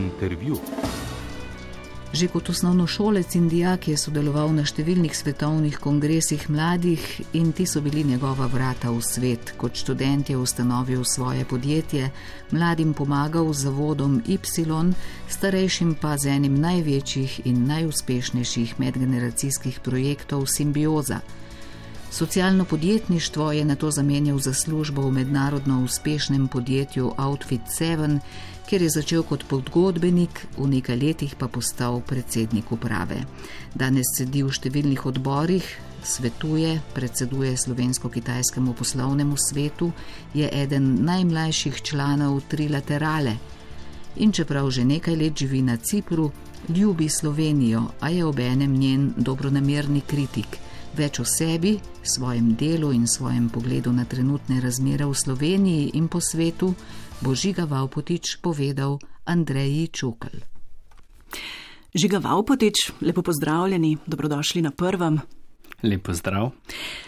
Intervju. Že kot osnovnošolec in dijak je sodeloval na številnih svetovnih kongresih mladih in ti so bili njegova vrata v svet. Kot študent je ustanovil svoje podjetje, mladim pomagal z zavodom Y, starejšim pa z enim največjih in najuspešnejših medgeneracijskih projektov Simbioza. Socialno podjetništvo je nato zamenjal za službo v mednarodno uspešnem podjetju Outfit 7, kjer je začel kot pogodbenik, v nekaj letih pa postal predsednik uprave. Danes sedi v številnih odborih, svetuje, predseduje slovensko-kitajskemu poslovnemu svetu, je eden najmlajših članov Trilaterale. In čeprav že nekaj let živi na Cipru, ljubi Slovenijo, a je obenem njen dobronamerni kritik. Več o sebi, svojem delu in svojem pogledu na trenutne razmere v Sloveniji in po svetu bo Žiga Vavpotič povedal Andreji Čukl. Žiga Vavpotič, lepo pozdravljeni, dobrodošli na Prvem. Lep pozdrav.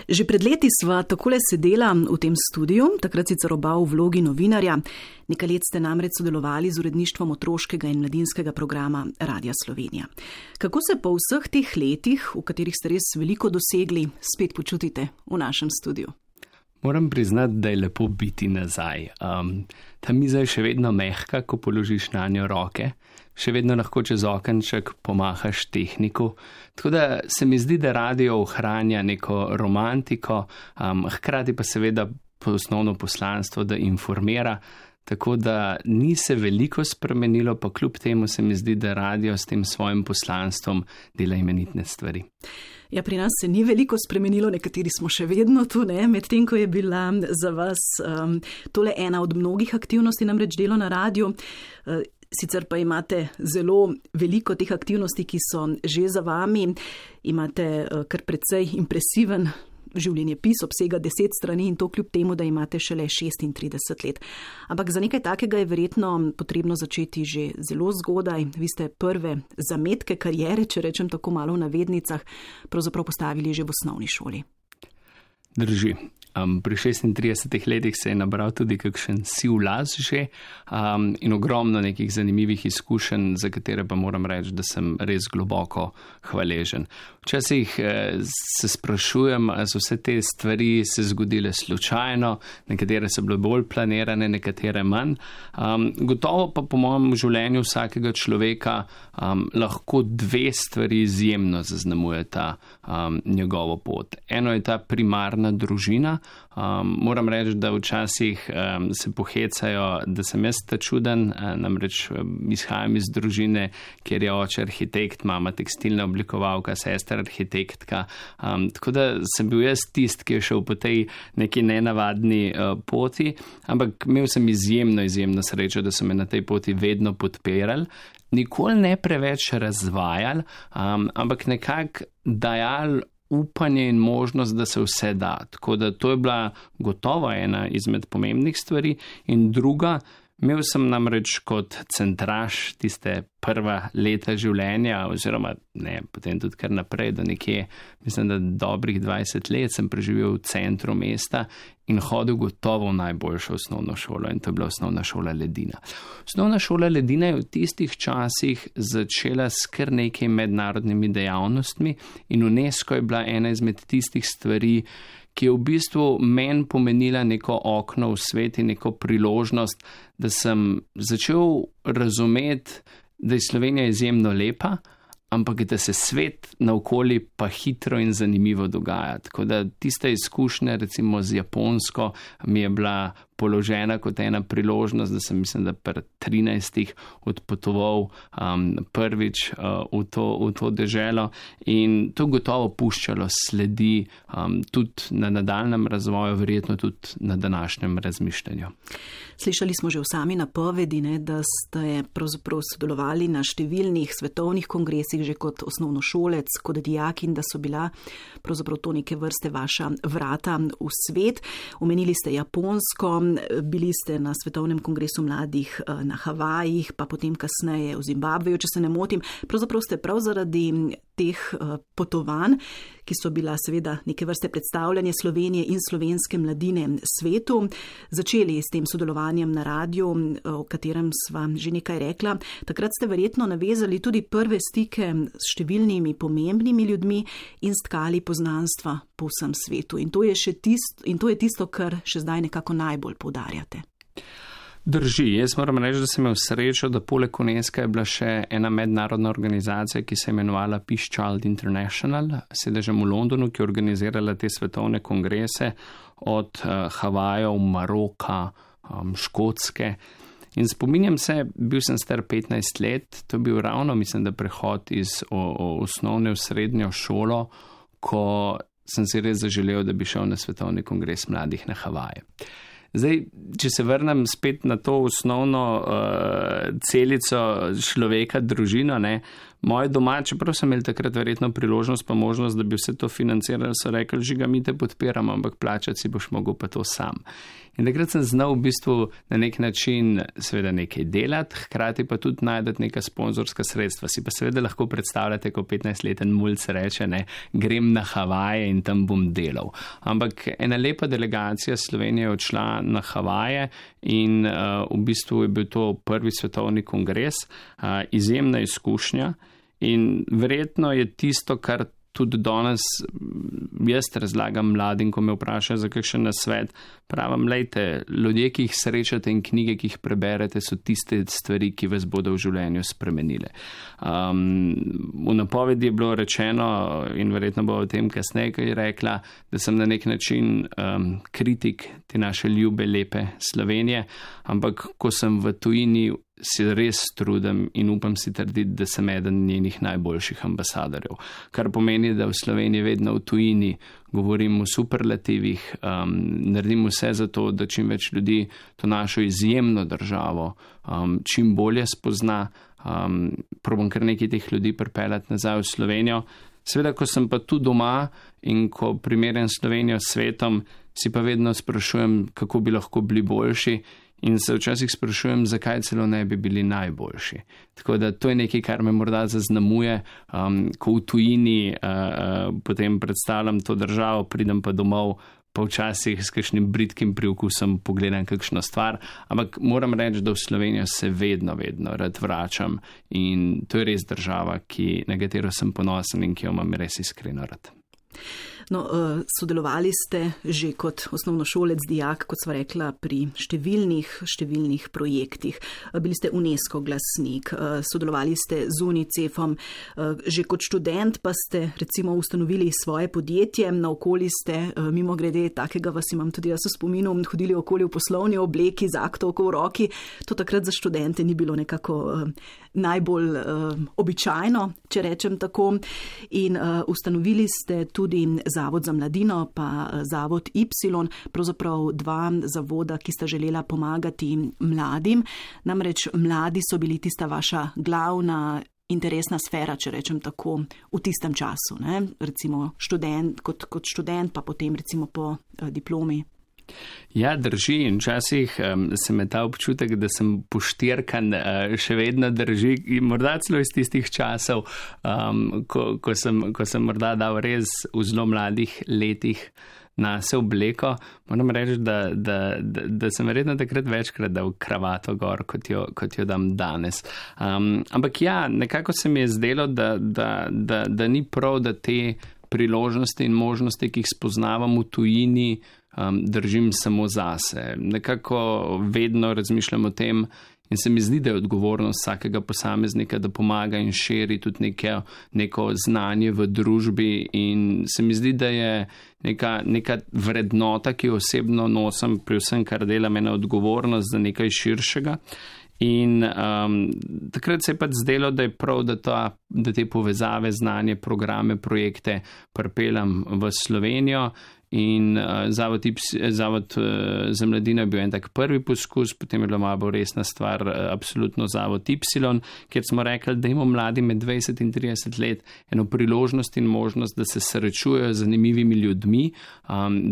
Že pred leti sva takole sedela v tem studiu, takrat sicer oba v vlogi novinarja. Nekaj let ste namreč sodelovali z uredništvom otroškega in mladinskega programa Radia Slovenija. Kako se po vseh teh letih, v katerih ste res veliko dosegli, spet počutite v našem studiu? Moram priznati, da je lepo biti nazaj. Ta miza je še vedno mehka, ko položiš na njo roke. Še vedno lahko čez okenček pomahaš tehniku. Tako da se mi zdi, da radio ohranja neko romantiko, hkrati pa seveda osnovno poslanstvo, da informira. Tako da ni se veliko spremenilo, pa kljub temu se mi zdi, da radio s tem svojim poslanstvom dela imenitne stvari. Ja, pri nas se ni veliko spremenilo, nekateri smo še vedno tu, medtem ko je bila za vas tole ena od mnogih aktivnosti, namreč delo na radiju. Sicer pa imate zelo veliko teh aktivnosti, ki so že za vami. Imate kar precej impresiven življenjepis, obsega 10 strani in to kljub temu, da imate šele 36 let. Ampak za nekaj takega je verjetno potrebno začeti že zelo zgodaj. Vi ste prve zametke kariere, če rečem tako malo v navednicah, pravzaprav postavili že v osnovni šoli. Drži. Pri 36 letih se je nabral tudi kakšen siv las že in ogromno nekih zanimivih izkušenj, za katere pa moram reči, da sem res globoko hvaležen. Včasih se sprašujem, ali so vse te stvari se zgodile slučajno, nekatere so bile bolj planirane, nekatere manj. Gotovo pa po mojem življenju vsakega človeka lahko dve stvari izjemno zaznamujeta njegovo pot. Eno je ta primarna družina. Moram reči, da včasih se pohecajo, da sem jaz ta čuden, namreč izhajam iz družine, kjer je oče arhitekt, mama tekstilna oblikovalka, sestra arhitektka, tako da sem bil jaz tist, ki je šel po tej neki nenavadni poti, ampak imel sem izjemno srečo, da so me na tej poti vedno podpirali, nikoli ne preveč razvajali, ampak nekako dajali upanje in možnost, da se vse da. Tako da to je bila gotovo ena izmed pomembnih stvari. In druga, imel sem namreč kot centraž tiste prva leta življenja, oziroma ne, potem tudi kar naprej, do nekje, mislim, da dobrih 20 let sem preživel v centru mesta in hodil gotovo v najboljšo osnovno šolo in to je bila osnovna šola Ledina. Osnovna šola Ledina je v tistih časih začela s kar nekaj mednarodnimi dejavnostmi in UNESCO je bila ena izmed tistih stvari, ki je v bistvu meni pomenila neko okno v svet in neko priložnost, da sem začel razumeti, da je Slovenija izjemno lepa, ampak da se svet naokoli pa hitro in zanimivo dogaja. Tako da tista izkušnja recimo z Japonsko mi je bila položena kot ena priložnost, da sem mislim, da pri 13 odpotoval prvič v to deželo in to gotovo puščalo sledi tudi na nadaljnjem razvoju, verjetno tudi na današnjem razmišljanju. Slišali smo že v sami napovedi, da ste pravzaprav sodelovali na številnih svetovnih kongresih že kot osnovnošolec, kot dijak in da so bila pravzaprav to neke vrste vaša vrata v svet. Omenili ste Japonsko, bili ste na Svetovnem kongresu mladih na Havajih, pa potem kasneje v Zimbabveju, če se ne motim. Pravzaprav ste prav zaradi teh potovanj, ki so bila seveda neke vrste predstavljanje Slovenije in slovenske mladine svetu. Začeli s tem sodelovanjem na radiju, o katerem sva že nekaj rekla. Takrat ste verjetno navezali tudi prve stike s številnimi pomembnimi ljudmi in stkali poznanstva po vsem svetu. In to je tisto, kar še zdaj nekako najbolj poudarjate. Drži, jaz moram reči, da sem imel srečo, da poleg UNESCO je bila še ena mednarodna organizacija, ki se je imenovala Peace Child International, sedežem v Londonu, ki je organizirala te svetovne kongrese od Havajev, Maroka, Škotske. In spominjam se, bil sem star 15 let, to je bil ravno, mislim, da prehod iz osnovne v srednjo šolo, ko sem si res zaželel, da bi šel na svetovni kongres mladih na Havaje. Zdaj, če se vrnem spet na to osnovno celico človeka, družino, moji doma, čeprav sem imel takrat verjetno priložnost pa možnost, da bi vse to financirali, so rekli, Žiga, mi te podpiramo, ampak plačati si boš mogel pa to sam. In takrat sem znal v bistvu na nek način seveda nekaj delati, hkrati pa tudi najdati neka sponzorska sredstva. Si pa seveda lahko predstavljate, ko 15-leten mulc reče, grem na Havaje in tam bom delal. Ampak ena lepa delegacija Slovenije je odšla na Havaje in v bistvu je bil to prvi svetovni kongres, izjemna izkušnja in verjetno je tisto, kar tudi danes jaz razlagam mladim, ko me vprašajo za kakšen nasvet. Pravim, lejte, ljudje, ki jih srečate in knjige, ki jih preberete, so tiste stvari, ki vas bodo v življenju spremenile. V napovedi je bilo rečeno, in verjetno bo o tem kasneje kaj rekla, da sem na nek način kritik te naše ljube, lepe Slovenije, ampak ko sem v tujini, si res trudim in upam si trditi, da sem eden njenih najboljših ambasadorjev. Kar pomeni, da v Sloveniji vedno v tujini govorim o superlativih, naredim vse za to, da čim več ljudi to našo izjemno državo čim bolje spozna, probam kar nekaj teh ljudi pripeljati nazaj v Slovenijo. Seveda, ko sem pa tu doma in ko primerjam Slovenijo s svetom, si pa vedno sprašujem, kako bi lahko bili boljši. In se včasih sprašujem, zakaj celo ne bi bili najboljši. Tako da to je nekaj, kar me morda zaznamuje, ko v tujini potem predstavljam to državo, pridem pa domov, pa včasih s kakšnim bridkim priokusom pogledam kakšno stvar, ampak moram reči, da v Slovenijo se vedno rad vračam in to je res država, na katero sem ponosen in ki jo imam res iskreno rad. No, sodelovali ste že kot osnovnošolec, dijak, kot sva rekla, pri številnih projektih. Bili ste UNESCO glasnik, sodelovali ste z UNICEF-om, že kot študent pa ste recimo ustanovili svoje podjetje, naokoli ste, mimo grede takega vas imam tudi jaz v spominu, hodili okoli v poslovni obleki z aktovko v roki. To takrat za študente ni bilo nekako najbolj običajno, če rečem tako. In ustanovili ste tudi Zavod za mladino, pa Zavod Y, pravzaprav dva zavoda, ki sta želela pomagati mladim. Namreč mladi so bili tista vaša glavna interesna sfera, če rečem tako, v tistem času. Recimo kot študent, pa potem recimo po diplomi. Ja, drži in včasih se me ta občutek, da sem poštirkan, še vedno drži in morda celo iz tistih časov, ko sem morda dal res v zelo mladih letih na se obleko. Moram reči, da sem verjetno takrat večkrat dal kravato gor, kot jo dam danes. Ampak ja, nekako se mi je zdelo, da ni prav, da te priložnosti in možnosti, ki jih spoznavam v tujini, držim samo zase. Nekako vedno razmišljam o tem in se mi zdi, da je odgovornost vsakega posameznika, da pomaga in širi tudi neko znanje v družbi in se mi zdi, da je neka vrednota, ki jo osebno nosim pri vsem, kar delam, ena odgovornost za nekaj širšega. In takrat se je pač zdelo, da je prav, da te povezave, znanje, programe, projekte pripeljam v Slovenijo in Zavod za mladino je bil en tak prvi poskus, potem je bila malo bolj resna stvar absolutno Zavod Y, kjer smo rekli, da imamo mladi med 20 in 30 let eno priložnost in možnost, da se srečujejo z zanimivimi ljudmi,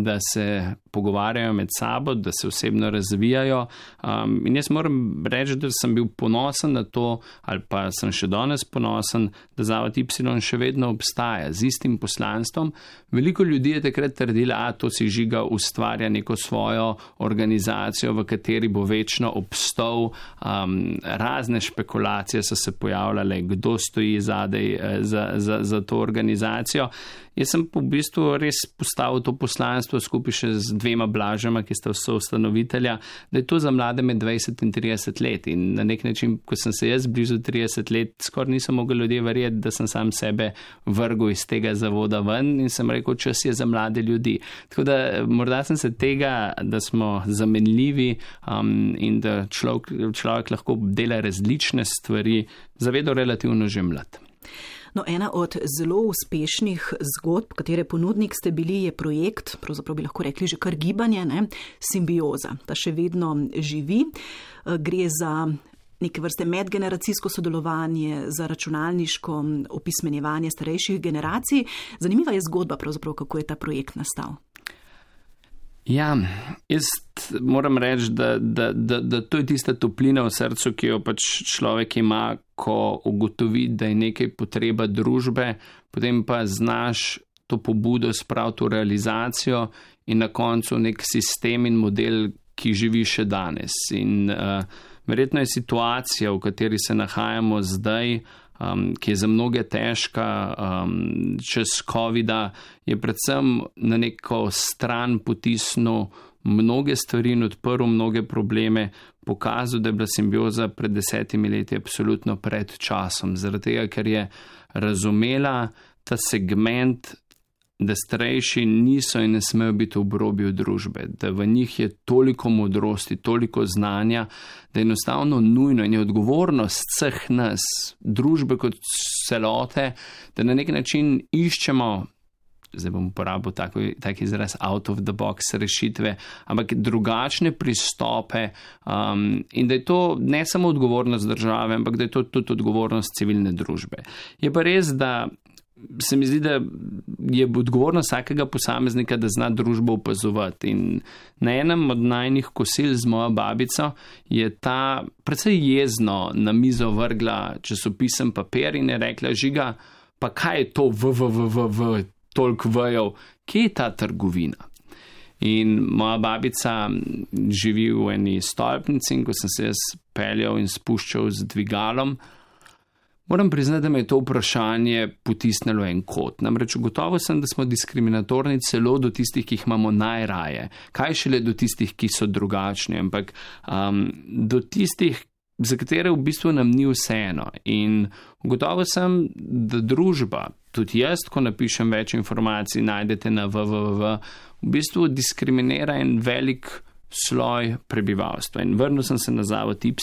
da se pogovarjajo med sabo, da se osebno razvijajo. In jaz moram reči, da sem bil ponosen na to, ali pa sem še danes ponosen, da Zavod Y še vedno obstaja z istim poslanstvom. Veliko ljudi je takrat trdila, to si Žiga ustvarja neko svojo organizacijo, v kateri bo večno obstal. Razne špekulacije so se pojavljale, kdo stoji zadaj za to organizacijo. Jaz sem v bistvu res postavil to poslanstvo skupaj še z 2 Blažema, ki sta soustanovitelja, da je to za mlade med 20 in 30 let. In na nek način, ko sem se jaz blizu 30 let, skoraj nisem mogel ljudje verjeti, da sem sam sebe vrgel iz tega zavoda ven in sem rekel, čas je za mlade ljudi. Tako da morda sem se tega, da smo zamenljivi in da človek lahko dela različne stvari, zavedal relativno že mlad. No, ena od zelo uspešnih zgodb, katere ponudnik ste bili, je projekt, pravzaprav bi lahko rekli že kar gibanje, Simbioza. Ta še vedno živi. Gre za neke vrste medgeneracijsko sodelovanje, za računalniško opismenjevanje starejših generacij. Zanimiva je zgodba, pravzaprav, kako je ta projekt nastal. Ja, jaz moram reči, da to je tista toplina v srcu, ki jo pač človek ima, ko ugotovi, da je nekaj potreba družbe, potem pa znaš to pobudo spraviti v realizacijo in na koncu nek sistem in model, ki živi še danes. In verjetno je situacija, v kateri se nahajamo zdaj, ki je za mnoge težka, čez COVID-a, je predvsem na neko stran potisnil mnoge stvari in odprl mnoge probleme, pokazal, da je bila Simbioza pred 10 leti absolutno pred časom, zaradi tega, ker je razumela ta segment, da starejši niso in ne smejo biti v obrobju družbe, da v njih je toliko modrosti, toliko znanja, da je enostavno nujno in je odgovornost vseh nas, družbe kot celote, da na nek način iščemo, zdaj bom uporabil tak izraz, out of the box rešitve, ampak drugačne pristope in da je to ne samo odgovornost države, ampak da je to tudi odgovornost civilne družbe. Je pa res, da se mi zdi, da je odgovornost vsakega posameznika, da zna družbo opazovati. In na enem od najnih kosil z mojo babico je ta precej jezno na mizo vrgla časopisem papir in je rekla, Žiga, pa kaj je to toliko vejev, kje je ta trgovina? In moja babica živi v eni stolpnici in ko sem se jaz peljal in spuščal z dvigalom, moram priznati, da me je to vprašanje potisnilo en kot. Namreč ugotovil sem, da smo diskriminatorni celo do tistih, ki jih imamo najraje. Kaj šele do tistih, ki so drugačni, ampak do tistih, za katere v bistvu nam ni vseeno. In ugotovil sem, da družba, tudi jaz, ko napišem več informacij, najdete na www, v bistvu diskriminira en velik sloj prebivalstva. In vrnil sem se na Zavod Y,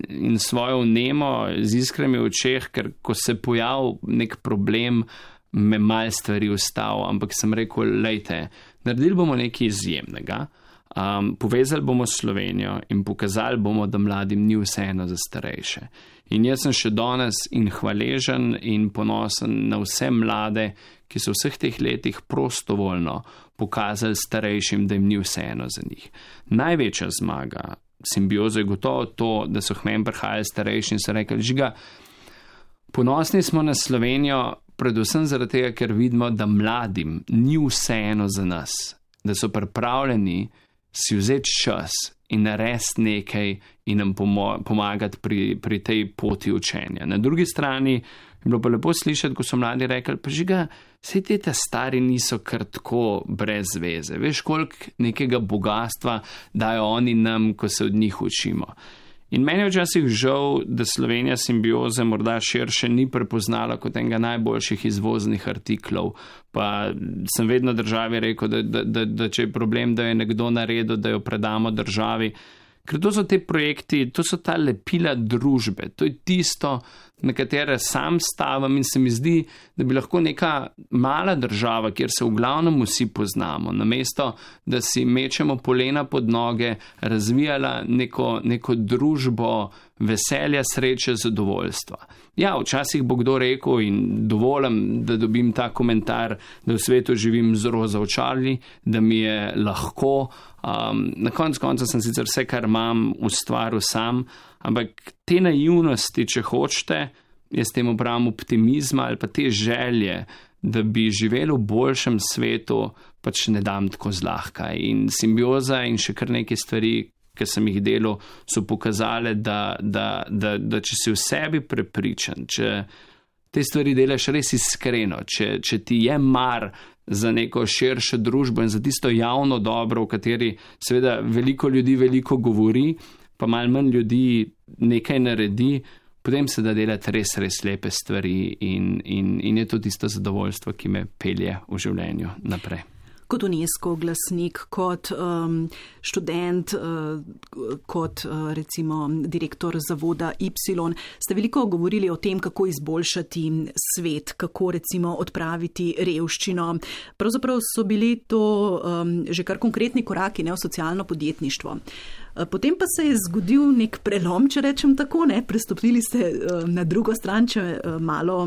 in svojo vnemo z iskrami v očeh, ker ko se pojavil nek problem, me malo stvari ustavil, ampak sem rekel, lejte, naredili bomo nekaj izjemnega, povezali bomo Slovenijo in pokazali bomo, da mladim ni vseeno za starejše. In jaz sem še danes in hvaležen in ponosen na vse mlade, ki so vseh teh letih prostovoljno pokazali starejšim, da jim ni vseeno za njih. Največja zmaga Simbioze je gotovo to, da so k meni prihajali starejši in so rekli, Žiga, ponosni smo na Slovenijo, predvsem zaradi tega, ker vidimo, da mladim ni vseeno za nas, da so pripravljeni si vzeti čas in narediti nekaj in nam pomagati pri tej poti učenja. Na drugi strani je bilo pa lepo slišati, ko so mladi rekli, pa Žiga, saj te stari niso kar tako brez veze. Veš, koliko nekega bogatstva dajo oni nam, ko se od njih učimo. In meni je včasih žal, da Slovenija Simbioze morda širše ni prepoznala kot enega najboljših izvoznih artiklov. Pa sem vedno državi rekel, da če je problem, da je nekdo naredil, da jo predamo državi. Ker to so te projekti, to so ta lepila družbe, to je tisto, na katere sam stavim in se mi zdi, da bi lahko neka mala država, kjer se v glavnem vsi poznamo, namesto, da si mečemo polena pod noge, razvijala neko družbo veselja, sreče, zadovoljstva. Ja, včasih bo kdo rekel in dovolim, da dobim ta komentar, da v svetu živim z roza očali, da mi je lahko. Na koncu sem sicer vse, kar imam, ustvaril sam, ampak te naivnosti, če hočete, jaz temu pravim optimizma ali pa te želje, da bi živeli v boljšem svetu, pač ne dam tako zlahka. In simbioza in še kar neke stvari, ki sem jih delal, so pokazale, da če si v sebi prepričan, če te stvari delaš res iskreno, če ti je mar za neko širšo družbo in za tisto javno dobro, v kateri seveda veliko ljudi veliko govori, pa malo manj ljudi nekaj naredi, potem se da delati res, res lepe stvari in je to tisto zadovoljstvo, ki me pelje v življenju naprej. Kot UNESCO glasnik, kot študent, kot recimo direktor zavoda Y, ste veliko govorili o tem, kako izboljšati svet, kako recimo odpraviti revščino. Pravzaprav so bili to že kar konkretni koraki, v socialno podjetništvo. Potem pa se je zgodil nek prelom, če rečem tako, prestopili ste na drugo stran, če malo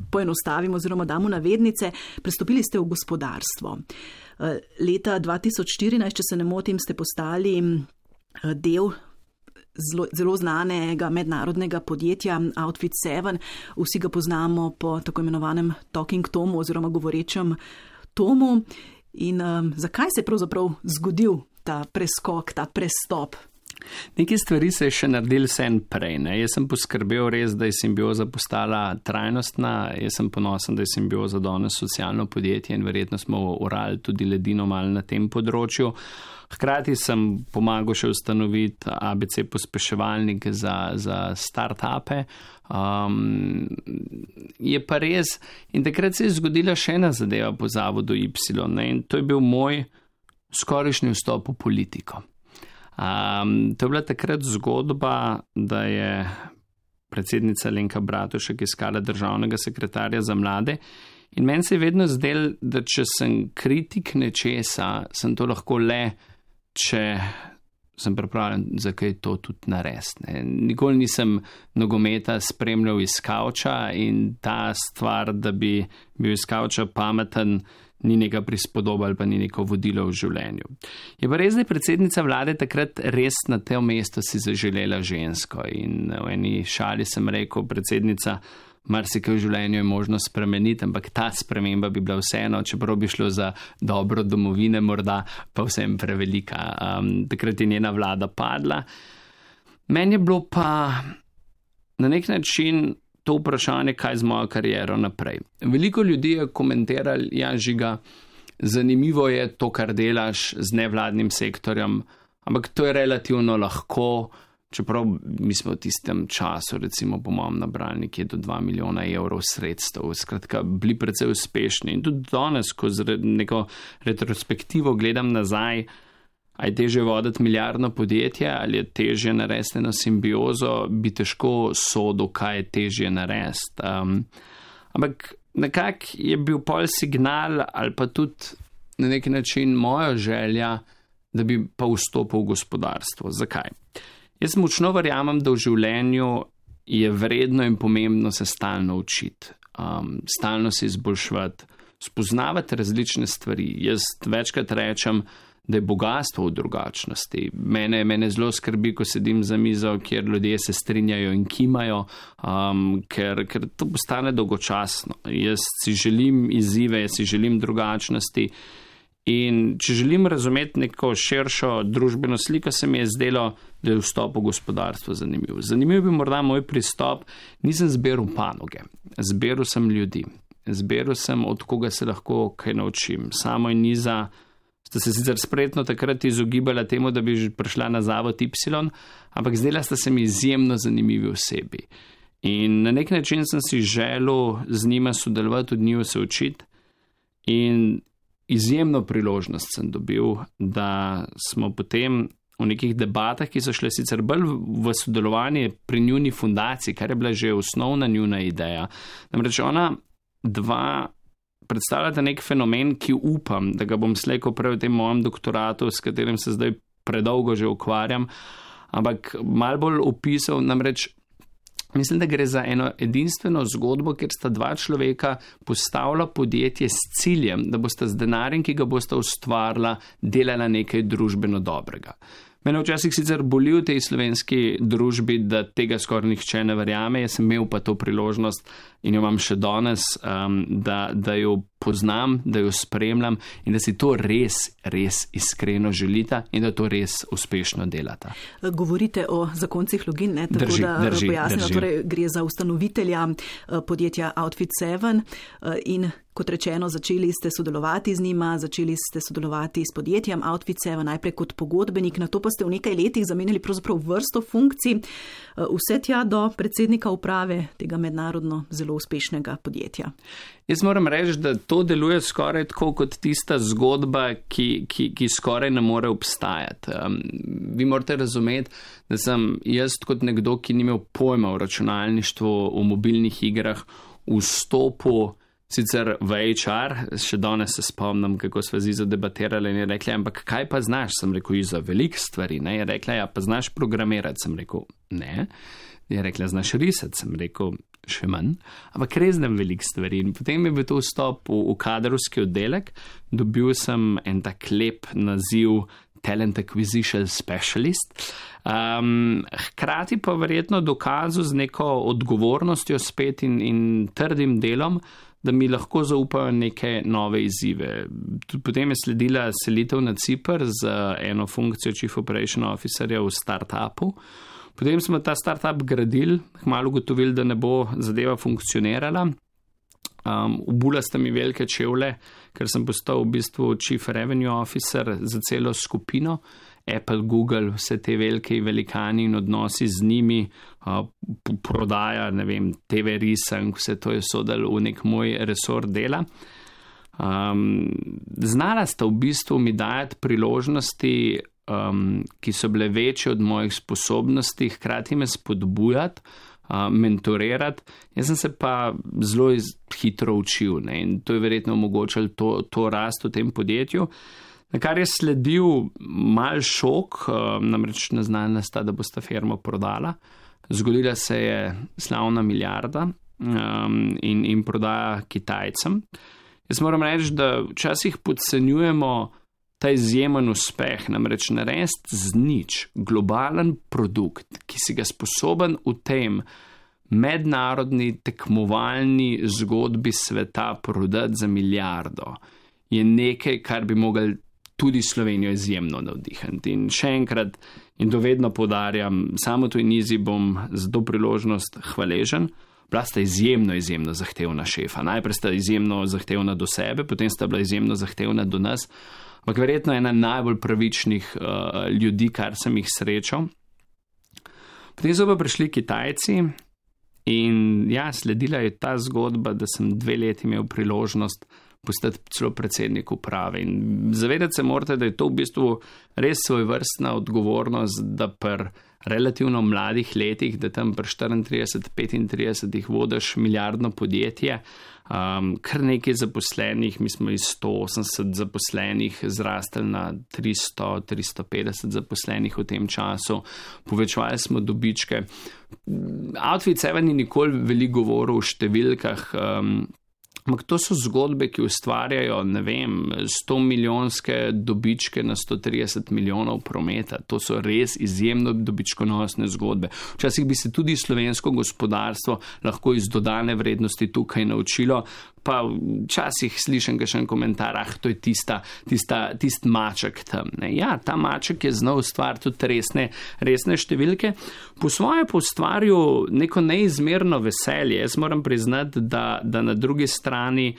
poenostavimo oziroma damo navednice, prestopili ste v gospodarstvo. Leta 2014, če se ne motim, ste postali del zelo znanega mednarodnega podjetja Outfit 7. Vsi ga poznamo po tako imenovanem Talking Tomu oziroma govorečem Tomu. In zakaj se je pravzaprav zgodil ta preskok, ta prestop? Nekaj stvari se je še naredil vsem prej. Jaz sem poskrbel res, da je simbioza postala trajnostna. Jaz sem ponosen, da je simbioza danes socialno podjetje in verjetno smo orali tudi ledino malo na tem področju. Hkrati sem pomagal še ustanoviti ABC pospeševalnik za start-upe. Je pa res, in takrat se je zgodila še ena zadeva po zavodu Y, in to je bil moj skorajšnji vstop v politiko. To je bila takrat zgodba, da je predsednica Alenka Bratušek iskala državnega sekretarja za mlade in meni se je vedno zdelo, da če sem kritik nečesa, sem to lahko le, če sem pripravljen, zakaj to tudi narediti. Nikoli nisem nogometa spremljal iz kavča in ta stvar, da bi bil iz kavča pameten, ni neka prispodoba ali pa ni neko vodilo v življenju. Je pa res, da je predsednica vlade takrat res na tem mestu si zaželela žensko in v eni šali sem rekel, predsednica, marsikaj v življenju je možno spremeniti, ampak ta sprememba bi bila vseeno, čeprav bi šlo za dobro domovine, morda pa vsem prevelika. Takrat je njena vlada padla. Meni je bilo pa na nek način to vprašanje, kaj z mojo kariero naprej. Veliko ljudi je komentirali, ja, Žiga, zanimivo je to, kar delaš z nevladnim sektorjem, ampak to je relativno lahko, čeprav mi smo v tistem času, recimo po mojem nabrali nekje do 2 milijona evrov sredstev, skratka, bili precej uspešni. In tudi danes, ko z neko retrospektivo gledam nazaj, a je težje voditi milijardno podjetje ali je težje narediti eno simbiozo, bi težko sodil, kaj je težje narediti. Ampak nekak je bil pol signal ali pa tudi na neki način moja želja, da bi pa vstopil v gospodarstvo. Zakaj? Jaz močno verjamem, da v življenju je vredno in pomembno se stalno učiti, stalno se izboljševati, spoznavati različne stvari. Jaz večkrat rečem, da je bogatstvo v drugačnosti. Mene zelo skrbi, ko sedim za mizo, kjer ljudje se strinjajo in kimajo, ker to postane dolgočasno. Jaz si želim izzive, jaz si želim drugačnosti in če želim razumeti neko širšo družbeno sliko, se mi je zdelo, da je vstop v gospodarstvo zanimiv. Zanimiv bi morda moj pristop, nisem zbiral panoge, zbiral sem ljudi, zbiral sem, od koga se lahko kaj naučim. Samo in Niza sta se sicer spretno takrat izogibala temu, da bi že prišla na zavod Y, ampak zdela sta se mi izjemno zanimivi osebi. In na nek način sem si želel z njima sodelovati, od njiju se učiti in izjemno priložnost sem dobil, da smo potem v nekih debatah, ki so šle sicer bolj v sodelovanje pri njuni fundaciji, kar je bila že osnovna njuna ideja. Namreč ona dva predstavljata nek fenomen, ki upam, da ga bom slejko prej v tem mojem doktoratu, s katerim se zdaj predolgo že ukvarjam, ampak malo bolj opisal, namreč mislim, da gre za eno edinstveno zgodbo, kjer sta dva človeka postavila podjetje s ciljem, da bosta z denarjem, ki ga bosta ustvarila, delala nekaj družbeno dobrega. Mene včasih sicer boli v tej slovenski družbi, da tega skoraj nihče ne verjame. Jaz sem imel pa to priložnost in jo imam še danes, da jo poznam, da jo spremljam in da si to res iskreno želita in da to res uspešno delata. Govorite o zakoncih Login, ne? Tako da pojasnimo, torej gre za ustanovitelja podjetja Outfit 7 in kot rečeno, začeli ste sodelovati z njima, začeli ste sodelovati s podjetjem Outfit 7, najprej kot pogodbenik, nato pa ste v nekaj letih zamenjali pravzaprav vrsto funkcij, vse tja do predsednika uprave tega mednarodno zelo uspešnega podjetja. Jaz moram reči, da to deluje skoraj tako kot tista zgodba, ki skoraj ne more obstajati. Vi morate razumeti, da sem jaz kot nekdo, ki ni imel pojma o računalništvu, o mobilnih igrah, vstopil sicer v HR, še danes se spomnim, kako sva z Izo debatirali in je rekla, ampak kaj pa znaš? Sem rekel, Izo, veliko stvari, ne? Je rekla, ja, pa znaš programirati? Sem rekel, ne. Je rekla, znaš risati? Sem rekel, še manj, ampak res znam veliko stvari. In potem je bil to vstop v kadrovski oddelek, dobil sem en tak lep naziv Talent Acquisition Specialist, hkrati pa verjetno dokazal z neko odgovornostjo spet in trdim delom, da mi lahko zaupajo neke nove izzive. Potem je sledila selitev na Ciper z eno funkcijo Chief Operation Officerja v startupu. Potem smo ta startup gradili, kmalu ugotovili, da ne bo zadeva funkcionirala. Obula sta mi velike čevlje, ker sem postal v bistvu Chief Revenue Officer za celo skupino. Apple, Google, vse te velike velikani in odnosi z njimi, prodaja, ne vem, TV risank, vse to je sodalo v nek moj resor dela. Znala sta v bistvu mi dajati priložnosti, ki so bile večje od mojih sposobnosti, hkrati me spodbujati, mentorirati. Jaz sem se pa zelo hitro učil, ne, in to je verjetno omogočalo to rast v tem podjetju. Na kar je sledil mal šok, namreč naznanila sta, da bosta firmo prodala. Zgodila se je slavna milijarda in prodaja Kitajcem. Jaz moram reči, da včasih podcenjujemo ta izjemen uspeh, namreč narediti z nič globalen produkt, ki si ga sposoben v tem mednarodni tekmovalni zgodbi sveta prodati za milijardo, je nekaj, kar bi mogli tudi Slovenijo izjemno navdihniti. In še enkrat, in dovedno poudarjam, samo to in Izi bom za to priložnost hvaležen. Bila sta izjemno zahtevna šefa. Najprej sta izjemno zahtevna do sebe, potem sta bila izjemno zahtevna do nas, ampak verjetno ena najbolj pravičnih ljudi, kar sem jih srečal. Potem so pa prišli Kitajci in ja, sledila je ta zgodba, da sem 2 leti imel priložnost postati celo predsednik uprave. In zavedati se morate, da je to v bistvu res svojevrstna odgovornost, da pri relativno mladih letih, da tam pri 34-35 vodiš milijardno podjetje, kar nekaj zaposlenih, mi smo iz 180 zaposlenih zrastli na 300-350 zaposlenih v tem času, povečevali smo dobičke. Outfit 7 ni nikoli veliko govoril o številkah, ampak to so zgodbe, ki ustvarjajo, ne vem, 100 milijonske dobičke na 130 milijonov prometa. To so res izjemno dobičkonosne zgodbe. Včasih bi se tudi slovensko gospodarstvo lahko iz dodane vrednosti tukaj naučilo, pa včasih slišim kakšen komentar, to je tisti maček tam. Ne? Ja, ta maček je znal ustvariti tudi resne številke. Po svoje pa ustvaril neko neizmerno veselje. Jaz moram priznati, da na drugi strani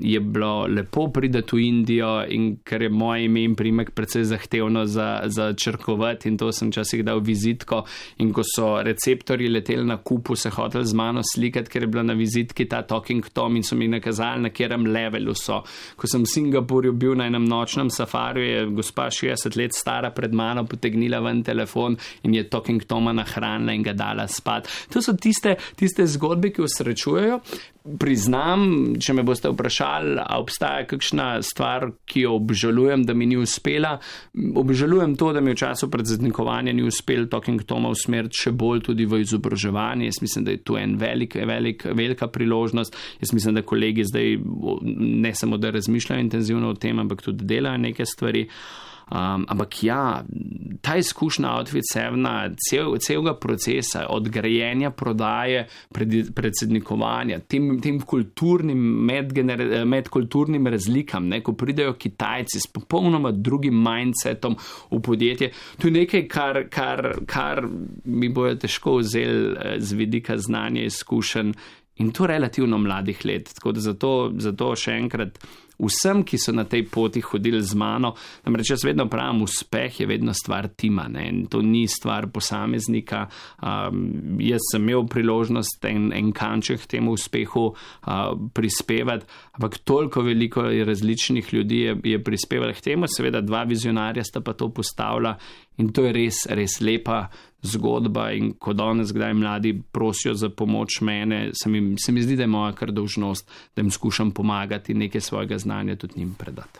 je bilo lepo priti v Indijo in ker je moje ime in primek precej zahtevno za črkovati in to sem včasih dal vizitko in ko so receptorji leteli na kupu, se hoteli z mano slikati, ker je bila na vizitki ta Talking Tom in so mi mi nakazali, na katerem levelu so. Ko sem v Singapurju bil na enem nočnem safariju, je gospa 60 let stara pred mano potegnila ven telefon in je Talking Toma nahranila in ga dala spat. To so tiste zgodbe, ki osrečujejo. Priznam, če me boste vprašali, a obstaja kakšna stvar, ki jo obžalujem, da mi ni uspela. Obžalujem to, da mi v času predsednikovanja ni uspel Talking Toma usmeriti še bolj tudi v izobraževanje. Jaz mislim, da je tu velika priložnost. Jaz mislim, da kolegi zdaj ne samo, da razmišljajo intenzivno o tem, ampak tudi delajo neke stvari. Ampak ja, ta izkušnja Outfit 7 celega procesa, od grajenja, prodaje, predsednikovanja, tem kulturnim, medkulturnim razlikam, ko pridejo Kitajci s popolnoma drugim mindsetom v podjetje, to je nekaj, kar mi bojo težko vzeli z vidika znanja, izkušenj in to relativno mladih let. Tako da zato še enkrat vsem, ki so na tej poti hodili z mano, namreč jaz vedno pravim, uspeh je vedno stvar tima, in to ni stvar posameznika. Jaz sem imel priložnost en kanček temu uspehu prispevati, ampak toliko veliko različnih ljudi je prispevalo k temu, seveda 2 vizionarja sta pa to postavila in to je res lepa zgodba in ko danes kdaj mladi prosijo za pomoč mene, se mi zdi, da je moja kar dolžnost, da jim skušam pomagati in nekaj svojega znanja tudi njim predati.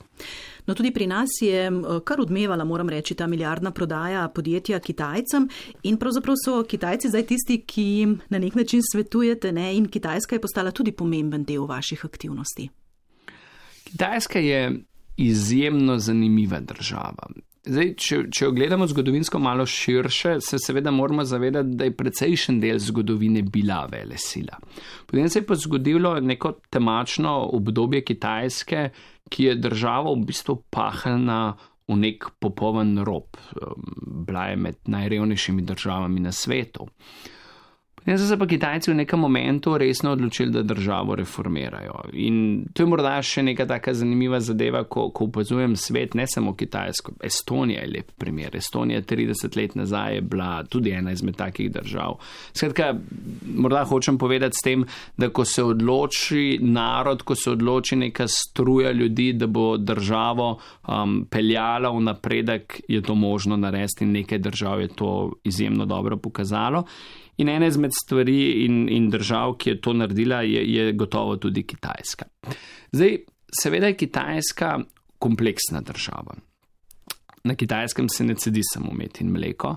No, tudi pri nas je kar odmevala, moram reči, ta milijardna prodaja podjetja Kitajcem in pravzaprav so Kitajci zdaj tisti, ki jim na nek način svetujete, in Kitajska je postala tudi pomemben del vaših aktivnosti. Kitajska je izjemno zanimiva država. Zdaj, če jo gledamo zgodovinsko malo širše, se seveda moramo zavedati, da je precejšen del zgodovine bila velesila. Potem se je pa zgodilo neko temačno obdobje Kitajske, ki je državo v bistvu pahnila v nek popoln rob. Bila je med najrevnejšimi državami na svetu. Potem so se pa Kitajci v nekem momentu resno odločili, da državo reformirajo. In to je morda še neka taka zanimiva zadeva, ko opazujem svet, ne samo Kitajsko. Estonija je lep primer. Estonija 30 let nazaj je bila tudi ena izmed takih držav. Skratka, morda hočem povedati s tem, da ko se odloči narod, ko se odloči neka struja ljudi, da bo državo peljala v napredek, je to možno narediti in nekaj držav je to izjemno dobro pokazalo. In ena izmed stvari in držav, ki je to naredila, je gotovo tudi Kitajska. Zdaj, seveda je Kitajska kompleksna država. Na Kitajskem se ne cedi samo med in mleko,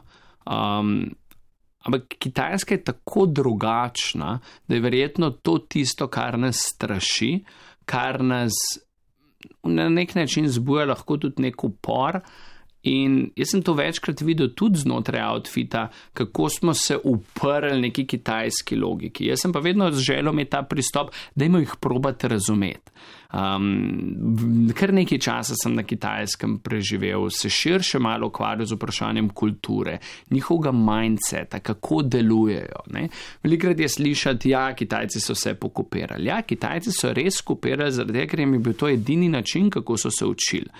ampak Kitajska je tako drugačna, da je verjetno to tisto, kar nas straši, kar nas na nek način zbuja lahko tudi nek upor. In jaz sem to večkrat videl tudi znotraj Outfita, kako smo se uprli neki kitajski logiki. Jaz sem pa vedno želel imeti ta pristop, dajmo jih probati razumeti. Kar nekaj časa sem na Kitajskem preživel, se širše malo ukvarjal z vprašanjem kulture, njihovega mindseta, kako delujejo. Velikokrat je slišati, Kitajci so se pokopirali. Kitajci so res kopirali, zaradi tega, ker jim je bil to edini način, kako so se učili.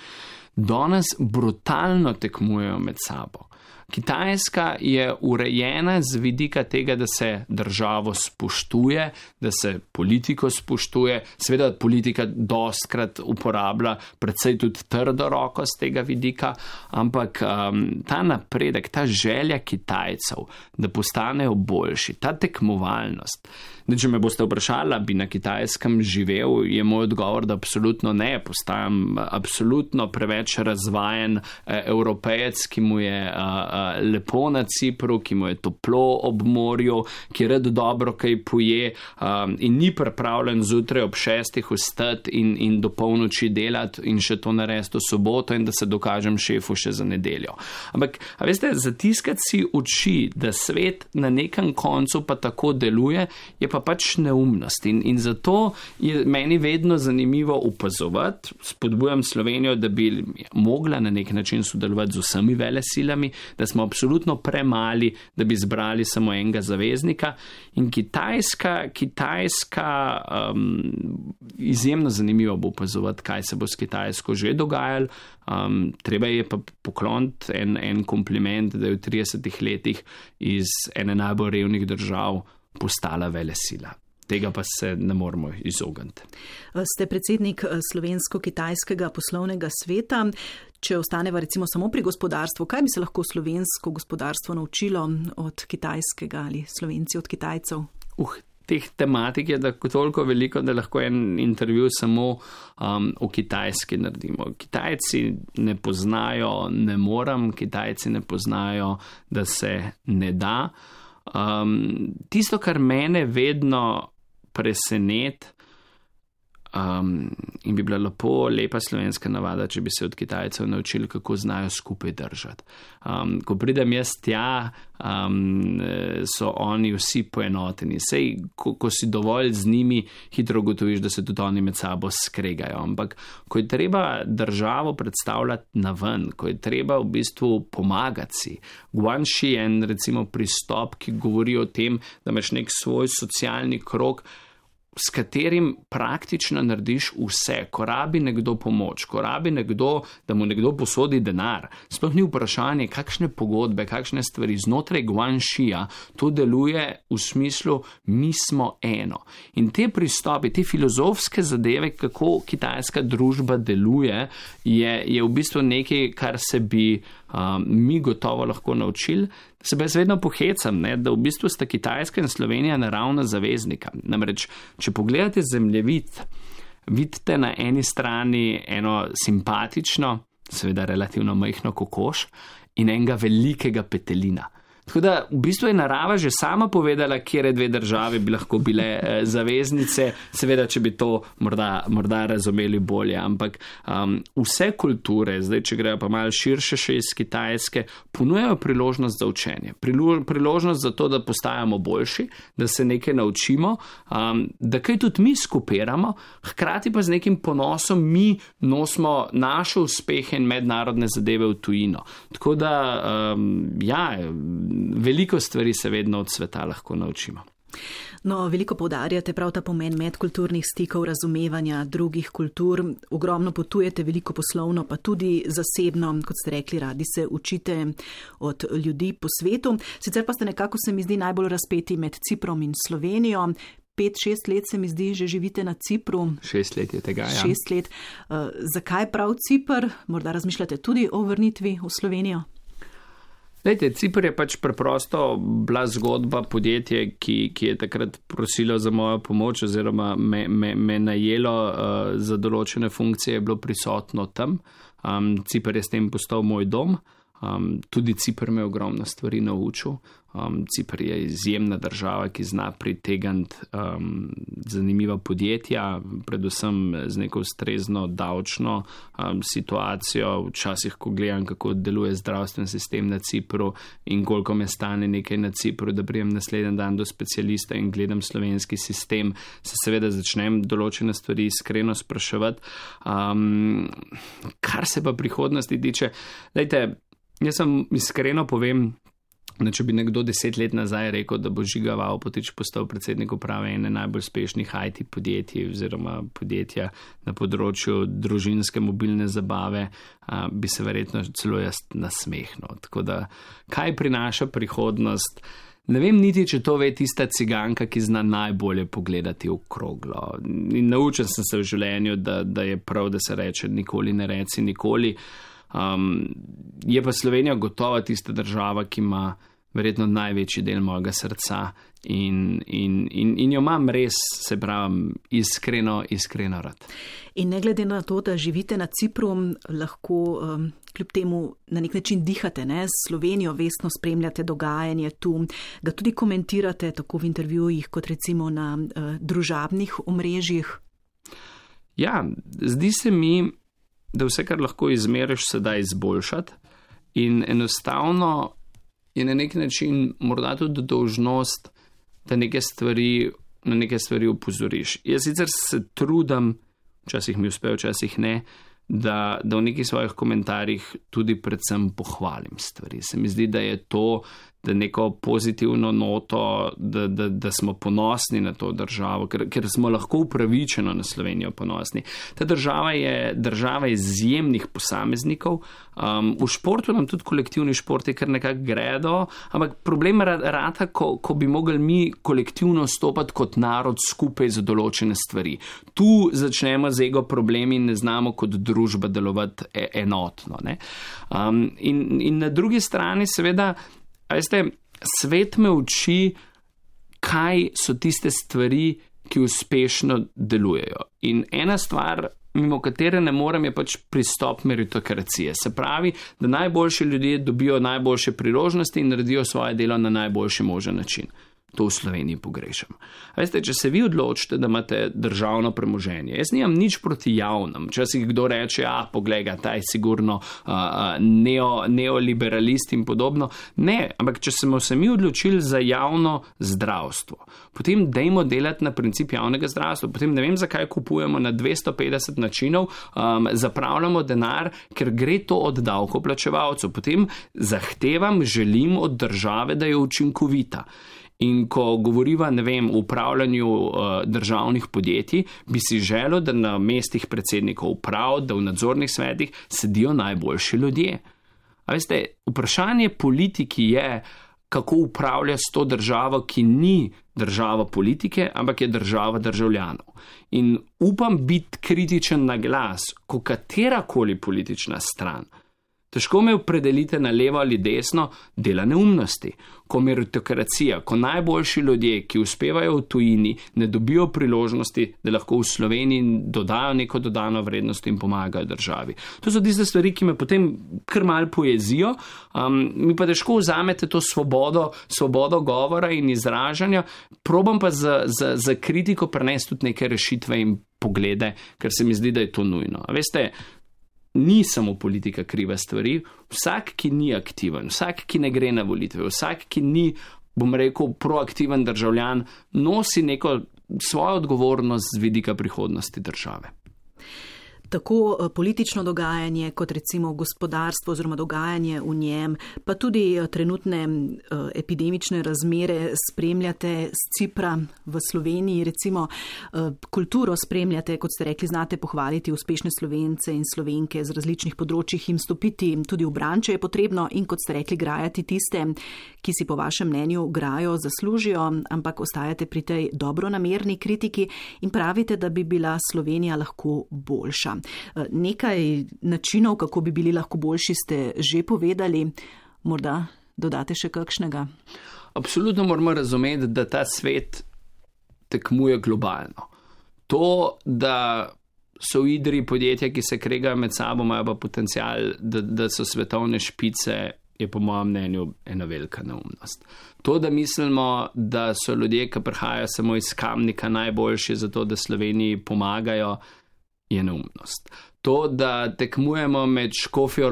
Danes brutalno tekmujejo med sabo. Kitajska je urejena z vidika tega, da se državo spoštuje, da se politiko spoštuje. Seveda politika dostkrat uporablja predvsej tudi trdo roko z tega vidika, ampak ta napredek, ta želja Kitajcev, da postanejo boljši, ta tekmovalnost. Če me boste vprašali, bi na Kitajskem živel, je moj odgovor, da absolutno ne. Postajam absolutno preveč razvajen Evropejec, ki mu je lepo na Cipru, ki mu je toplo ob morju, ki rad dobro kaj poje in ni pripravljen zjutraj ob 6 vstati in do polnoči delati in še to narediti v soboto in da se dokažem šefu še za nedeljo. Ampak, veste, zatiskati si oči, da svet na nekem koncu pa tako deluje, je pa pač neumnost in zato je meni vedno zanimivo opazovati, spodbujam Slovenijo, da bi mogla na nek način sodelovati z vsemi velesilami, da smo absolutno premali, da bi zbrali samo enega zaveznika in Kitajska izjemno zanimivo bo opazovati, kaj se bo s Kitajsko že dogajalo. Treba je pa pokloniti en kompliment, da je v 30 letih iz ene najbolj revnih držav postala velesila. tega pa se ne moremo izogniti. Ste predsednik slovensko-kitajskega poslovnega sveta. Če ostaneva recimo samo pri gospodarstvu, kaj bi se lahko slovensko gospodarstvo naučilo od kitajskega ali Slovenci od Kitajcev? Teh tematik je toliko veliko, da lahko en intervju samo o Kitajski naredimo. Kitajci ne poznajo ne moram, Kitajci ne poznajo, da se ne da. Tisto, kar mene vedno preseneti, in bi bila lepa slovenska navada, če bi se od Kitajcev naučili, kako znajo skupaj držati. Ko pridem jaz tja, so oni vsi poenoteni. Sej, ko si dovolj z njimi, hitro ugotoviš, da se tudi oni med sabo skregajo. Ampak, ko je treba državo predstavljati na ven, ko je treba v bistvu pomagati si, Guanxi je en recimo pristop, ki govori o tem, da imaš nek svoj socialni krog, s katerim praktično narediš vse. Ko rabi nekdo pomoč, ko rabi nekdo, da mu nekdo posodi denar, sploh ni vprašanje, kakšne pogodbe, kakšne stvari. Znotraj Guanxija to deluje v smislu, mi smo eno. In te pristopi, te filozofske zadeve, kako kitajska družba deluje, je v bistvu nekaj, kar se bi mi gotovo lahko naučili. Se pa jaz vedno pohecam, da v bistvu sta Kitajska in Slovenija naravna zaveznika. Namreč, če pogledate zemljevid, vidite na eni strani eno simpatično, seveda relativno majhno kokoš in enega velikega petelina. Tako da v bistvu je narava že sama povedala, kjere dve države bi lahko bile zaveznice, seveda, če bi to morda razumeli bolje, ampak vse kulture, zdaj, če grejo pa malo širše še iz Kitajske, ponujajo priložnost za učenje, priložnost za to, da postajamo boljši, da se nekaj naučimo, da kaj tudi mi skupiramo, hkrati pa z nekim ponosom mi nosimo naše uspehe in mednarodne zadeve v tujino. Tako da, veliko stvari se vedno od sveta lahko naučimo. No, veliko poudarjate prav ta pomen medkulturnih stikov, razumevanja drugih kultur. Ogromno potujete, veliko poslovno, pa tudi zasebno, kot ste rekli, radi se učite od ljudi po svetu. Sicer pa ste nekako, se mi zdi, najbolj razpeti med Ciprom in Slovenijo. 5-6 let se mi zdi, že živite na Cipru. 6 let je tega, ja. 6 let. Zakaj prav Cipr? Morda razmišljate tudi o vrnitvi v Slovenijo? Lejte, Cipr je pač preprosto bila zgodba podjetje, ki je takrat prosilo za mojo pomoč oziroma me najelo za določene funkcije, je bilo prisotno tam. Cipr je s tem postal moj dom. Tudi Cipr me ogromno stvari naučil. Cipr je izjemna država, ki zna pritegniti zanimiva podjetja, predvsem z neko ustrezno davčno situacijo. Včasih, ko gledam, kako deluje zdravstven sistem na Cipru in koliko me stane nekaj na Cipru, da prijem naslednji dan do specialista in gledam slovenski sistem, se seveda začnem določene stvari iskreno spraševati. Kar se pa prihodnosti tiče, lejte, jaz sem iskreno povem, da če bi nekdo 10 let nazaj rekel, da bo Žiga Vavpotič postal predsednik uprave ene najbolj uspešnih IT podjetij oziroma podjetja na področju družinske mobilne zabave, bi se verjetno celo jaz nasmehnil. Tako da, kaj prinaša prihodnost? Ne vem niti, če to ve tista ciganka, ki zna najbolje pogledati v kroglo. In naučil sem se v življenju, da je prav, da se reče nikoli ne reci nikoli. Je pa Slovenija gotovo tista država, ki ima verjetno največji del mojega srca in jo imam res, se pravim, iskreno rad. In ne glede na to, da živite na Cipru, lahko kljub temu na nek način dihate, ne? S Slovenijo vestno spremljate dogajanje tu, ga tudi komentirate tako v intervjujih, kot recimo na družabnih omrežjih. Ja, zdi se mi, da vse, kar lahko izmeriš, se da izboljšati in enostavno je na nek način morda tudi dolžnost, da na neke stvari opozoriš. Jaz sicer se trudim, včasih mi uspe, včasih ne, da v nekih svojih komentarjih tudi predvsem pohvalim stvari. Se mi zdi, da je to da neko pozitivno noto, da smo ponosni na to državo, ker smo lahko upravičeno na Slovenijo ponosni. Ta država je država izjemnih posameznikov. V športu nam tudi kolektivni športi kar nekako gredo, ampak problem rata, ko bi mogli mi kolektivno stopati kot narod skupaj za določene stvari. Tu začnemo z ego problemi in ne znamo kot družba delovati enotno. Ne? In na drugi strani seveda, veste, svet me uči, kaj so tiste stvari, ki uspešno delujejo. In ena stvar, mimo katere ne morem, je pač pristop meritokracije. Se pravi, da najboljši ljudje dobijo najboljše priložnosti in naredijo svoje delo na najboljši možen način. To v Sloveniji pogrešam. Veste, če se vi odločite, da imate državno premoženje, jaz nimam nič proti javnem. Včasih kdo reče, poglej ga, ta je sigurno neoliberalist in podobno. Ne, ampak če smo se mi odločili za javno zdravstvo, potem dajmo delati na princip javnega zdravstva. Potem ne vem, zakaj kupujemo na 250 načinov, zapravljamo denar, ker gre to od davkoplačevalcev. Potem zahtevam, želim od države, da je učinkovita. In ko govoriva, ne vem, o upravljanju državnih podjetij, bi si želel, da na mestih predsednikov uprav, da v nadzornih svetih sedijo najboljši ljudje. A veste, vprašanje politiki je, kako upravlja s to državo, ki ni država politike, ampak je država državljanov. In upam biti kritičen na glas, ko katerakoli politična stran, težko me opredelite na levo ali desno, dela neumnosti. Ko meritokracija, ko najboljši ljudje, ki uspevajo v tujini, ne dobijo priložnosti, da lahko v Sloveniji dodajo neko dodano vrednost in pomagajo državi. To so tiste stvari, ki me potem kar mal pojezijo, mi pa težko vzamete to svobodo govora in izražanja, probam pa za kritiko prenesti tudi neke rešitve in poglede, ker se mi zdi, da je to nujno. A veste, ni samo politika kriva stvari, vsak, ki ni aktiven, vsak, ki ne gre na volitve, vsak, ki ni, bom rekel, proaktiven državljan, nosi neko svojo odgovornost z vidika prihodnosti države. Tako politično dogajanje, kot recimo gospodarstvo oziroma dogajanje v njem, pa tudi trenutne epidemične razmere spremljate z Cipra v Sloveniji, recimo kulturo spremljate, kot ste rekli, znate pohvaliti uspešne Slovence in Slovenke z različnih področjih, jim stopiti tudi v bran, če je potrebno, in kot ste rekli, grajati tiste, ki si po vašem mnenju grajo, zaslužijo, ampak ostajate pri tej dobronamerni kritiki in pravite, da bi bila Slovenija lahko boljša. Nekaj načinov, kako bi bili lahko boljši, ste že povedali. Morda dodate še kakšnega? Absolutno moramo razumeti, da ta svet tekmuje globalno. To, da so v igri podjetja, ki se kregajo med sabo, imajo pa potencial, da so svetovne špice, je po mojem mnenju ena velika neumnost. To, da mislimo, da so ljudje, ki prihajajo samo iz Kamnika, najboljši za to, da Sloveniji pomagajo, je neumnost. To, da tekmujemo med Škofjo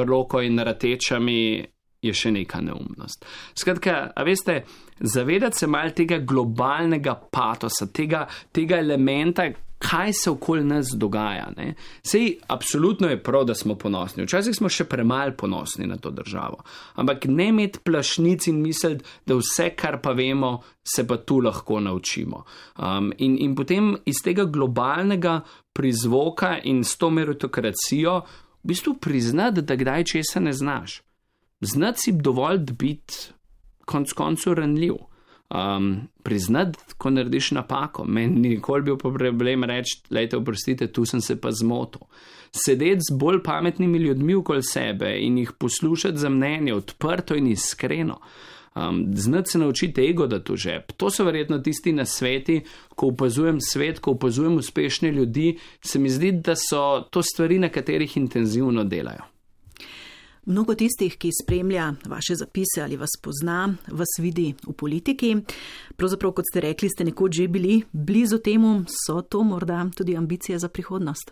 Loko in Ratečami, je še neka neumnost. Skratka, a veste, zavedati se malo tega globalnega patosa, tega elementa, kaj se okoli nas dogaja. Ne? Sej, absolutno je prav, da smo ponosni. Včasih smo še premalo ponosni na to državo. Ampak ne imeti plašnic in misliti, da vse, kar pa vemo, se pa tu lahko naučimo. In potem iz tega globalnega prizvoka in s to meritokracijo v bistvu priznati, da kdaj česa ne znaš. Znati si dovolj biti konec koncev ranljiv. Priznati, ko narediš napako. Meni nikoli bil problem reči, lejte, oprostite, tu sem se pa zmotil. Sedeti z bolj pametnimi ljudmi okoli sebe in jih poslušati za mnenje odprto in iskreno. Znati se naučiti ego, da to žep. To so verjetno tisti nasveti, ko opazujem svet, ko opazujem uspešne ljudi, se mi zdi, da so to stvari, na katerih intenzivno delajo. Mnogo tistih, ki spremlja vaše zapise ali vas pozna, vas vidi v politiki. Pravzaprav, kot ste rekli, ste nekoč že bili blizu temu, so to morda tudi ambicije za prihodnost?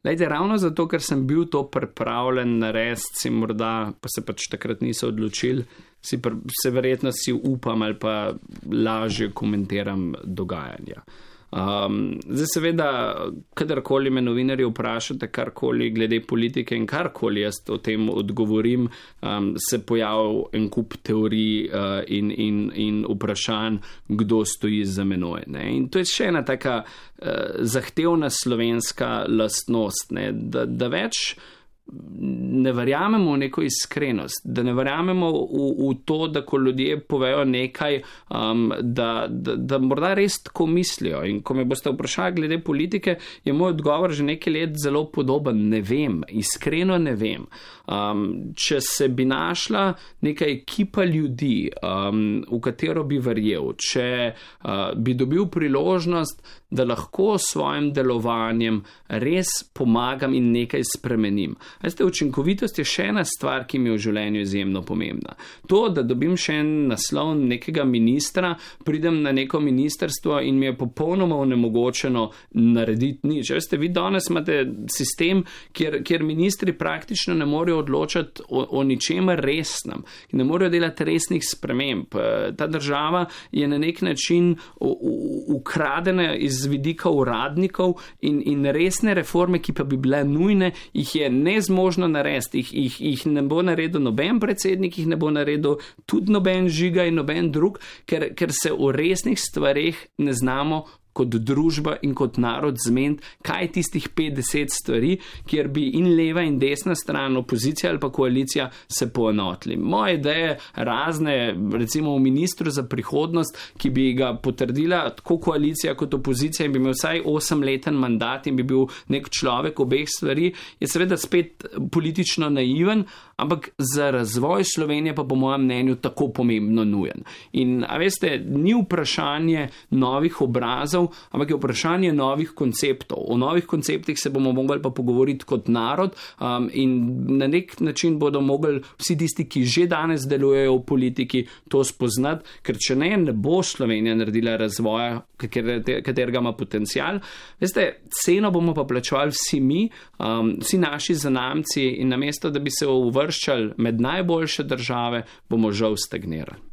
Lejte, ravno zato, ker sem bil to pripravljen narediti, morda pa se pač takrat niso odločili, se verjetno si upam ali pa lažje komentiram dogajanja. Zdaj seveda, kadarkoli me novinarji vprašate karkoli glede politike in karkoli jaz o tem odgovorim, se pojavi en kup teorij in vprašanj, kdo stoji za menoj. Ne? In to je še ena taka zahtevna slovenska lastnost, ne? Da več ne verjamemo v neko iskrenost, da ne verjamemo v to, da ko ljudje povejo nekaj, da morda res tako mislijo. In ko me boste vprašali glede politike, je moj odgovor že nekaj let zelo podoben. Ne vem, iskreno ne vem. Če se bi našla neka ekipa ljudi, v katero bi verjel, če bi dobil priložnost, da lahko s svojim delovanjem res pomagam in nekaj spremenim. Veste, učinkovitost je še ena stvar, ki mi je v življenju izjemno pomembna. To, da dobim še en naslov nekega ministra, pridem na neko ministrstvo in mi je popolnoma onemogočeno narediti nič. Veste, vi danes imate sistem, kjer ministri praktično ne morejo odločati o ničemer resnem, ne morejo delati resnih sprememb. Ta država je na nek način ukradena iz vidika uradnikov in resne reforme, ki pa bi bile nujne, jih je nezmožno narediti, jih ne bo naredil noben predsednik, jih ne bo naredil tudi noben Žiga in noben drug, ker se o resnih stvareh ne znamo kot družba in kot narod zmeniti, kaj je tistih 50 stvari, kjer bi in leva in desna stran, opozicija ali pa koalicija se poenotili. Moje ideje razne, recimo v ministru za prihodnost, ki bi ga potrdila tako koalicija kot opozicija in bi imel vsaj 8-leten mandat in bi bil nek človek obeh stvari, je seveda spet politično naiven, ampak za razvoj Slovenije pa po mojem mnenju tako pomembno nujen. In, a veste, ni vprašanje novih obrazov, ampak je vprašanje novih konceptov. O novih konceptih se bomo mogli pa pogovoriti kot narod in na nek način bodo mogli vsi tisti, ki že danes delujejo v politiki, to spoznati, ker če ne bo Slovenija naredila razvoja, katerega ima potencial. Veste, ceno bomo pa plačevali vsi mi, vsi naši zanamci in namesto, da bi se uvrščali med najboljše države, bomo žal stagnirali.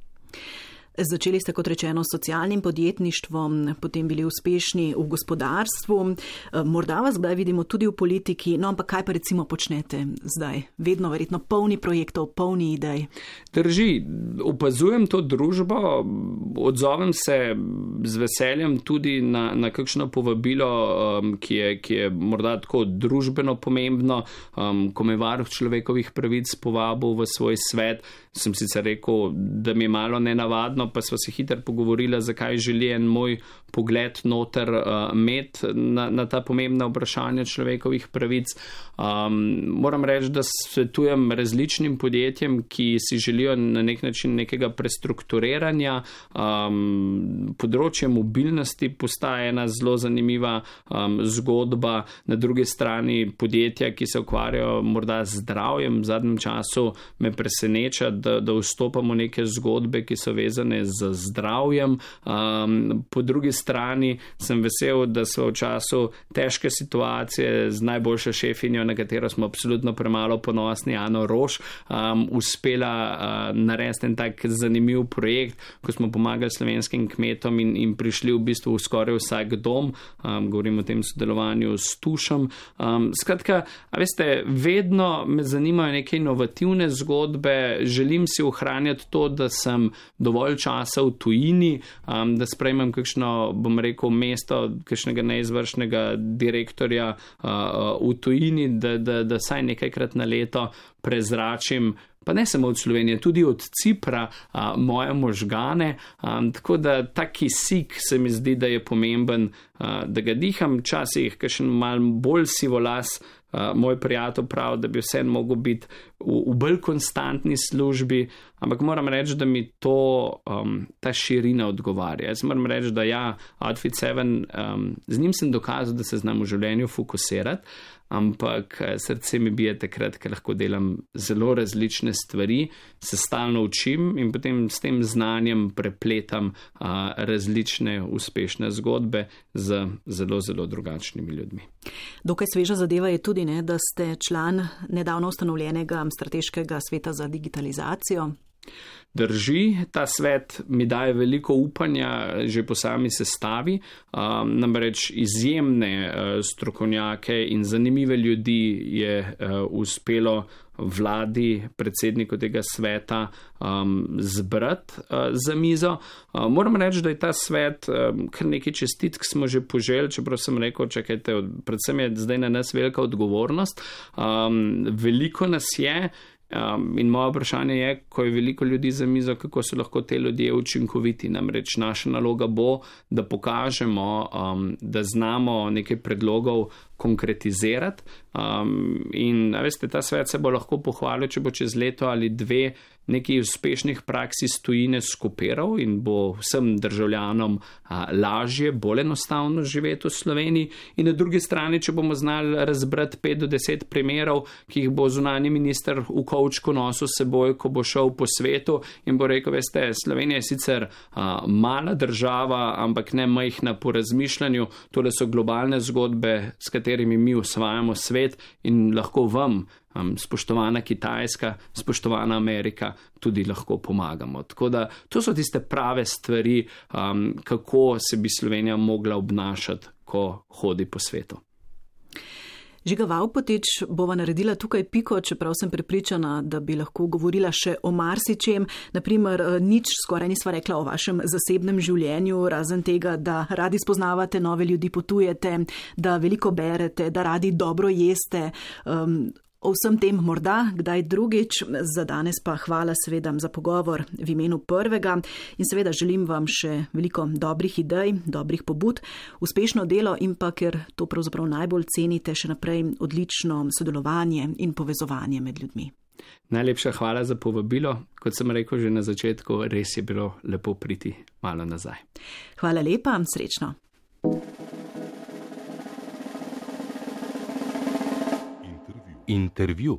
Začeli ste, kot rečeno, s socialnim podjetništvom, potem bili uspešni v gospodarstvu. Morda vas kdaj vidimo tudi v politiki, no ampak kaj pa recimo počnete zdaj? Vedno verjetno polni projektov, polni idej. Drži, opazujem to družbo, odzovem se z veseljem tudi na kakšno povabilo, ki je morda tako družbeno pomembno, ko me Varuh človekovih pravic povabil v svoj svet. Sem sicer rekel, da mi je malo nenavadno, pa sva se hitro pogovorila, zakaj želi en moj pogled noter imeti na ta pomembna vprašanja človekovih pravic. Moram reči, da svetujem različnim podjetjem, ki si želijo na nek način nekega prestrukturiranja. Področje mobilnosti postaje ena zelo zanimiva zgodba. Na drugi strani podjetja, ki se ukvarjajo morda z zdravjem, v zadnjem času me preseneča, da vstopamo neke zgodbe, ki so vezane z zdravjem. Po drugi strani sem vesel, da so v času težke situacije z najboljšo šefinjo, na katero smo absolutno premalo ponosni, Ano Roš, uspela narediti en tak zanimiv projekt, ko smo pomagali slovenskim kmetom in prišli v bistvu v skoraj vsak dom. Govorim o tem sodelovanju s Tušem. Skratka, a veste, vedno me zanimajo neke inovativne zgodbe, želim si ohranjati to, da sem dovolj časa v tujini, da sprejmem kakšno, bom rekel, mesto kakšnega neizvršnega direktorja v tujini, da saj nekajkrat na leto prezračim, pa ne samo od Slovenije, tudi od Cipra, moje možgane. Tako da ta kisik se mi zdi, da je pomemben, da ga diham, včasih kakšen mal bolj sivolas. Moj prijatelj pravi, da bi vse mogel biti v bolj konstantni službi, ampak moram reči, da mi ta širina odgovarja. Jaz moram reči, da ja, Outfit 7, z njim sem dokazal, da se znam v življenju fokusirati, ampak srce mi bije takrat, ker lahko delam zelo različne stvari, se stalno učim in potem s tem znanjem prepletam različne uspešne zgodbe z zelo, zelo drugačnimi ljudmi. Dokaj sveža zadeva je tudi, da ste član nedavno ustanovljenega strateškega sveta za digitalizacijo. Drži, ta svet mi daje veliko upanja že po sami sestavi, namreč izjemne strokovnjake in zanimive ljudi je uspelo vladi, predsedniku tega sveta zbrati za mizo. Moram reči, da je ta svet, kar nekaj čestitk smo že poželi, čeprav sem rekel, čakajte, predvsem je zdaj na nas velika odgovornost. Veliko nas je. In moje vprašanje je, ko je veliko ljudi za mizo, kako so lahko te ljudje učinkoviti. Namreč naša naloga bo, da pokažemo, da znamo nekaj predlogov konkretizirati. In veste, ta svet se bo lahko pohvalil, če bo čez leto ali dve nekaj uspešnih praks iz tujine skopiral in bo vsem državljanom lažje, bolj enostavno živeti v Sloveniji. In na drugi strani, če bomo znali razbrati 5 do 10 primerov, ki jih bo zunanji minister v kovčku nosil seboj, ko bo šel po svetu in bo rekel, veste, Slovenija je sicer mala država, ampak ne majhna po razmišljanju. Tole so globalne zgodbe, s katerimi mi osvajamo svet in lahko vam, spoštovana Kitajska, spoštovana Amerika, tudi lahko pomagamo. Tako da to so tiste prave stvari, kako se bi Slovenija mogla obnašati, ko hodi po svetu. Žiga Vavpotič bova naredila tukaj piko, čeprav sem prepričana, da bi lahko govorila še o marsičem. Naprimer, nič skoraj nisva rekla o vašem zasebnem življenju, razen tega, da radi spoznavate nove ljudi, potujete, da veliko berete, da radi dobro jeste. O vsem tem morda kdaj drugič, za danes pa hvala seveda za pogovor v imenu Prvega in seveda želim vam še veliko dobrih idej, dobrih pobud, uspešno delo in pa, ker to pravzaprav najbolj cenite, še naprej odlično sodelovanje in povezovanje med ljudmi. Najlepša hvala za povabilo. Kot sem rekel že na začetku, res je bilo lepo priti malo nazaj. Hvala lepa, srečno. Intervju.